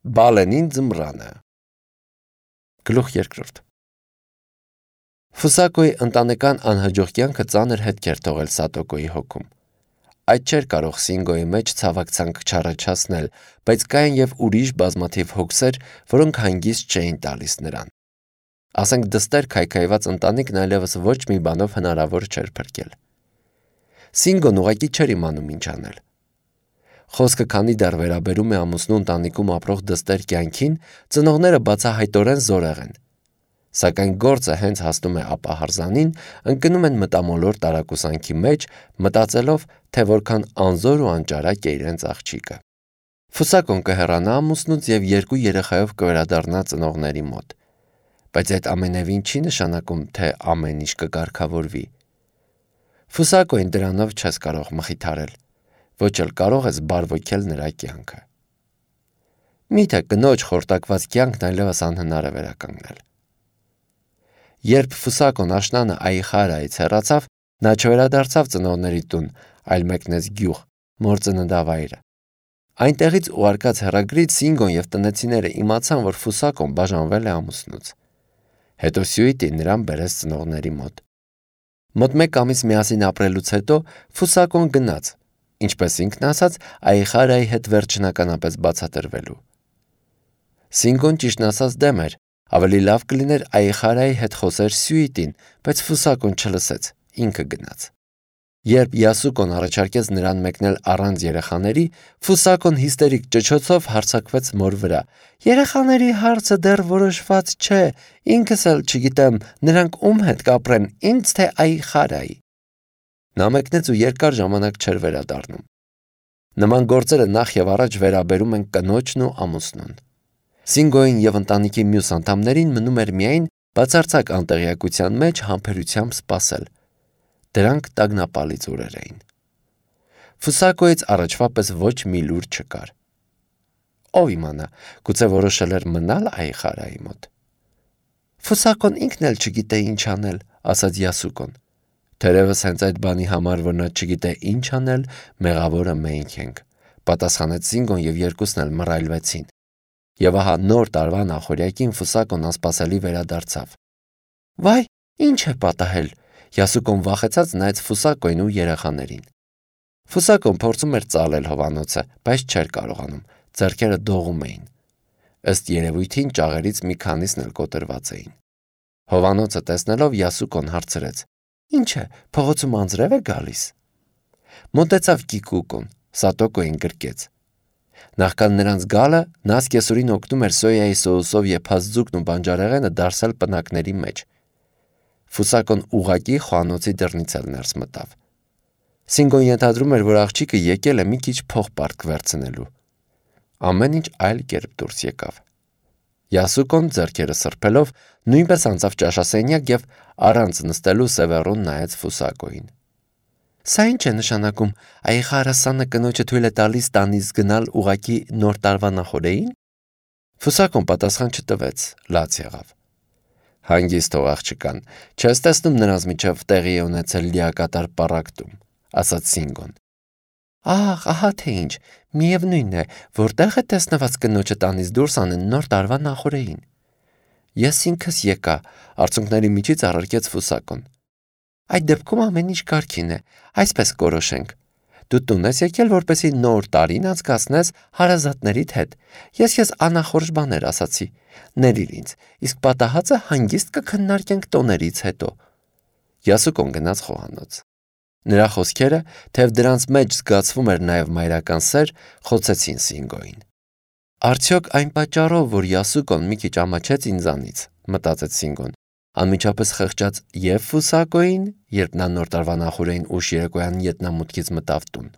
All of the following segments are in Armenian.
Բալենին ձմռանը։ Գլուխ երկրորդ։ Ֆուսակոյի ընտանեկան անհաջող կյանքը ծանր հետք էր թողել Սատոկոյի հոգում։ Այդ չէր կարող Սինգոյի մեջ ցավակցանք չառաջացնել, բայց կային և ուրիշ բազմաթիվ հոգսեր, որոնք հանգիստ չէին տալիս նրան։ Ասենք դստեր քայքայված ընտանիքն այլևս ոչ մի բանով հնարավոր չէր փրկել։ Սինգոն ուղղակի չէր իմանում ինչ անել։ Խոսքը քանի դեռ վերաբերում է ամուսնու ընտանիքում ապրող դստեր կյանքին, ծնողները բացահայտորեն զորեղ են։ Սակայն գործը հենց հասնում է ապահարզանին, ընկնում են մտամոլոր տարակուսանքի մեջ, մտածելով, թե որքան անզոր ու անճարակ է իրենց աղջիկը։ Ֆուսակոն կհեռանա ամուսնուց և 2 երեխայով կվերադառնա ծնողների մոտ։ Բայց այդ ամենևին չի նշանակում, թե ամեն ինչ կկարգավորվի։ Ֆուսակոյին դրանով չես կարող մխիթարել, ոչ էլ կարող ես բարվոքել նրա կյանքը։ Միթե կնոջ խորտակված կյանքն այլևս անհնար է վերականգնել։ Երբ Ֆուսակոն աշնանը Այխարայից հեռացավ, նա չվերադարձավ ծնողների տուն, այլ մեկնեց գյուղ, մոր ծննդավայրը։ Այնտեղից ուղարկած հեռագրից Սինգոն և տնեցիները իմացան, որ Ֆուսակոն բաժանվել է ամուսնուց։ Հետո Սյուիտին նրան բերեց ծնողների մոտ։ Մոտ 1 ամիս միասին ապրելուց հետո Ֆուսակոն գնաց, ինչպես ինքն ասաց, Այխարայի հետ վերջնականապես բացատրվելու։ Սինգոն ճիշտն ասած դեմ էր, ավելի լավ կլիներ Այխարայի հետ խոսեր Սյուիտին, բայց Ֆուսակոն չլսեց, ինքը գնաց։ Երբ Յասուկոն առաջարկեց նրան մեկնել առանց երեխաների, Ֆուսակոն հիստերիկ ճչոցով հարձակվեց մոր վրա։ Երեխաների հարցը դեռ որոշված չէ, ինքս էլ չգիտեմ, նրանք ում հետ կապրեն, ինձ թե Այխարայի։ Նա մեկնեց ու երկար ժամանակ չէր վերադառնում։ Նման գործերը նախ և առաջ վերաբերում են կնոջն ու ամուսնուն։ Սինգոյին և ընտանիքի մյուս անդամներին մնում էր միայն բացարձակ անտեղյակության մեջ համբերությամբ սպասել։ Դրանք տագնապալից օրեր էին։ Ֆուսակոյից առաջվա պես ոչ մի լուր չկար։ Ով իմանա, գուցե որոշել էր մնալ Այխարայի մոտ։ Ֆուսակոն ինքն էլ չգիտե ինչ անել, ասաց Յասուկոն։ Թերևս հենց այդ բանի համար, որ նա չգիտե ինչ անել, մեղավորը մենք ենք, պատասխանեց Սինգոն և երկուսն էլ մռայլվեցին։ Եվ ահա նոր տարվա նախօրյակին Ֆուսակոն անսպասելի վերադարձավ։ Վայ, ինչ է պատահել։ Յասուկոն վախեցած նայեց Ֆուսակոյին ու երեխաներին։ Ֆուսակոն փորձում էր ծալել հովանոցը, բայց չէր կարողանում, ձեռքերը դողում էին։ Ըստ երևույթին ճաղերից մի քանիսն էլ կոտրված էին։ Հովանոցը տեսնելով Յասուկոն հարցրեց. Ինչ է, փողոցում անձրև է գալիս։ Մոտեցավ Կիկուկոն, Սատոկոյին գրկեց։ Նախքան նրանց գալը նա սկեսուրին օգնում էր սոյայի սոուսով եփած ձուկն ու բանջարեղենը դարսել պնակների մեջ։ Ֆուսակոն ուղղակի խոհանոցի դռնից էլ ներս մտավ։ Սինգոն ենթադրում էր, որ աղջիկը եկել է մի քիչ փող պարտք վերցնելու։ Ամեն ինչ այլ կերպ դուրս եկավ։ Յասուկոն ձեռքերը սրբելով նույնպես անցավ ճաշասենյակ և առանց նստելու սևեռուն նայեց Ֆուսակոյին։ Սա ինչ է նշանակում, Այխարը սանը կնոջը թույլ է տալիս տանից գնալ ուղղակի նոր տարվա նախօրեին։ Ֆուսակոն պատասխան չտվեց, լաց եղավ։ Հանգիստ թող աղջկան, չես տեսնում նրանց միջև տեղի է ունեցել լիակատար պառակտում, ասաց Սինգոն։ Ահ, ահա թե ինչ, միևնույն է, որտեղ է տեսնված կնոջը տանից դուրս անեն նոր տարվա նախօրեին։ Ես ինքս եկա, արցունքների միջից առարկեց Ֆուսակոն։ Այդ դեպքում ամեն ինչ կարգին է, այսպես կորոշենք։ Դու տուն ես եկել, որպեսզի նոր տարին անցկացնես հարազատներիդ հետ։ Ես անախորժ բաներ ասացի։ Ներիր ինձ, իսկ պատահածը հանգիստ կքննարկենք տոներից հետո։ Յասուկոն գնաց խոհանոց։ Նրա խոսքերը, թեև դրանց մեջ զգացվում էր նաև մայրական սեր, խոցեցին Սինգոյին։ Արդյոք այն պատճառով, որ Յասուկոն մի քիչ ամաչեց ինձանից, մտածեց Սինգոն, անմիջապես խղճած և Ֆուսակոյին, երբ նա նոր տարվա նախօրեին ուշ երեկոյան ետնամուտքից մտավ տուն,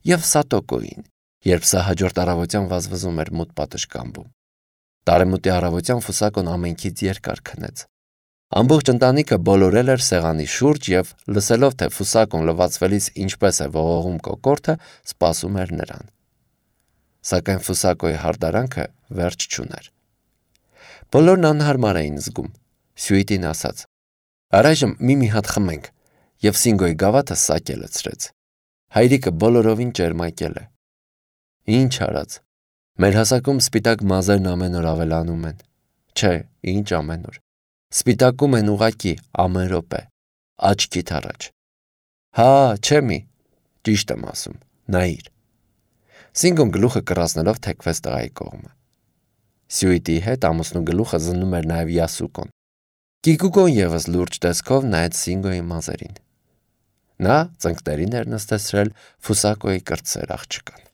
և Սատոկոյին, երբ սա հաջորդ առավոտյան վազվզում էր մութ պատշգամբում։ Տարեմուտի առավոտյան Ֆուսակոն ամենքից երկար քնեց։ Ամբողջ ընտանիքը բոլորել էր սեղանի շուրջ և, լսելով, թե Ֆուսակոն լվացվելիս ինչպես է ողողում կոկորդը, սպասում էր նրան։ Սակայն Ֆուսակոյի հարդարանքը վերջ չուներ։ Բոլորն անհարմար էին զգում։ Սյուիտին ասաց. Առայժմ մի հատ խմենք, և Սինգոյի գավաթը սակ է լցրեց։ Հայրիկը բոլորովին ճերմակել է։ Ինչ արած։ Մեր հասակում սպիտակ մազերն ամեն օր ավելանում են։ Չէ, ինչ ամեն օր։ Սպիտակում են ուղակի ամեն րոպե, աչքիդ առաջ։ Հա, չէ մի, ճիշտ եմ ասում, նայիր։ Սինգոն գլուխը կռացնելով թեքվեց տղայի կողմը։ Սյուիտի հետ ամուսնու գլուխը զննում էր նաև Յասուկոն։ Կիկուկոն ևս լուրջ տեսքով նայեց Սինգոյի մազերին։ Նա ծնկներին էր նստեցրել Ֆուսակոյի կրտսեր աղջկան։